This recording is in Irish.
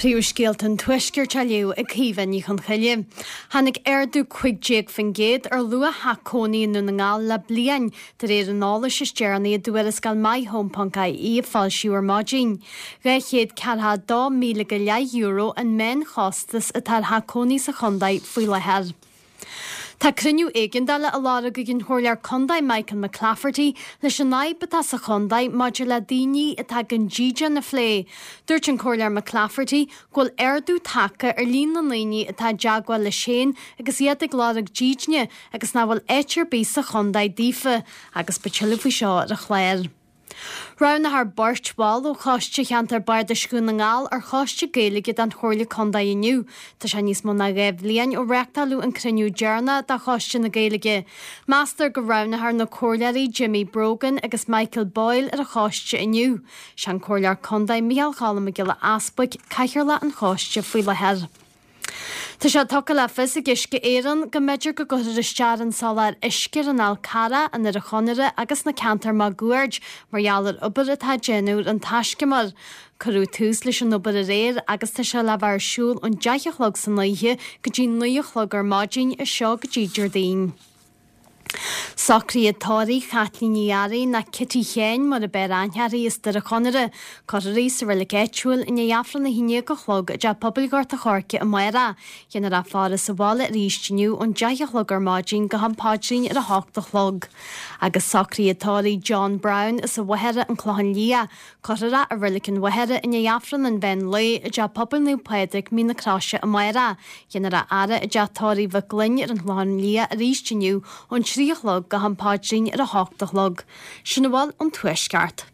Príomhscéalta an Tuaiscirt á léamh ag Caoimhe Ní Chonchoille. Tháinig ardú 15% ar luach theach cónaí i nDún na nGall le bliain, de réir an eolais is deireanaí i dtuarascáil MyHome.ie a foilsíodh ar maidin. €242,000 go leith an meánchostas atá ar theach cónaí sa chontae faoi láthair. Tá cruinniú éigeandála á lorg ag an Chomhairleoir Contae Michael McClafferty leis an fhadhb atá sa chontae maidir le daoine atá gan dídean a phlé. Dúirt an Comhairleoir McClafferty go bhfuil ardú tagtha ar líon na ndaoine atá i dteagmháil leis féin agus iad ag lorg dídine agus nach bhfuil áit ar bith sa chontae daofa agus beidh tuilleadh faoi seo ar an chlár. Roghnófar beirt bhall ó Choiste Cheantar Bardais Dhún na nGall ar Choiste Gaeilge den Chomhairle Contae inniu. Tá sé níos mó ná 2 bhliain ó reachtáileadh an cruinniú deireanach de Choiste na Gaeilge. Meastar go roghnófar na Comhairleoirí Jimmy Brogan agus Michael Boyle ar an choiste inniu. Sé an Comhairleoir Contae Micheál Choilm Mac Giolla Easbuig Cathaoirleach an choiste faoi láthair. Tá sé tugtha le fios ag Uisce Éireann go mb'fhéidir go gcuirfear isteach ar an soláthar uisce ar an Fhál Carrach, an Doire Chonaire agus na ceantair máguaird mar gheall ar obair atá á déanamh ar an taiscumar. Cuireadh tús leis an obair aréir agus tá sé le bheith ar siúl ón 10 a chlog san oíche go dtí 9 a chlog ar maidin as seo go dtí Déardaoin. Socruithe tórraimh Chaitlín Ní Fhearraigh, nó Kitty Sheáin mar ab fhearr aithne uirthi as Doire Chonaire. Cuirfear í sa reilig áitiúil i ndiaidh Aifreann 11 a chlog i dTeach Pobail Ghort a' Choirce amárach. Déanfar í a fhaire sa bhaile arís inniu ón 10 a chlog ar maidin go ham paidrín ar 8 a chlog. Agus socruithe tórraimh John Brown as an Mhachaire, An Clochán Liath. Cuirfear é i Reilig an Mhachaire i ndiaidh Aifreann an mheán lae i dTeach Pobail Naomh Pádraig, Mín na Croise amárach. Déanfar a fhaire i dTeach Tórraimh Mhic Gloinn ar an Chlochán Liath arís inniu ón 3 a chlog go ham paidrín ar 8 a chlog. Sin a bhfuil ón Tuaisceart.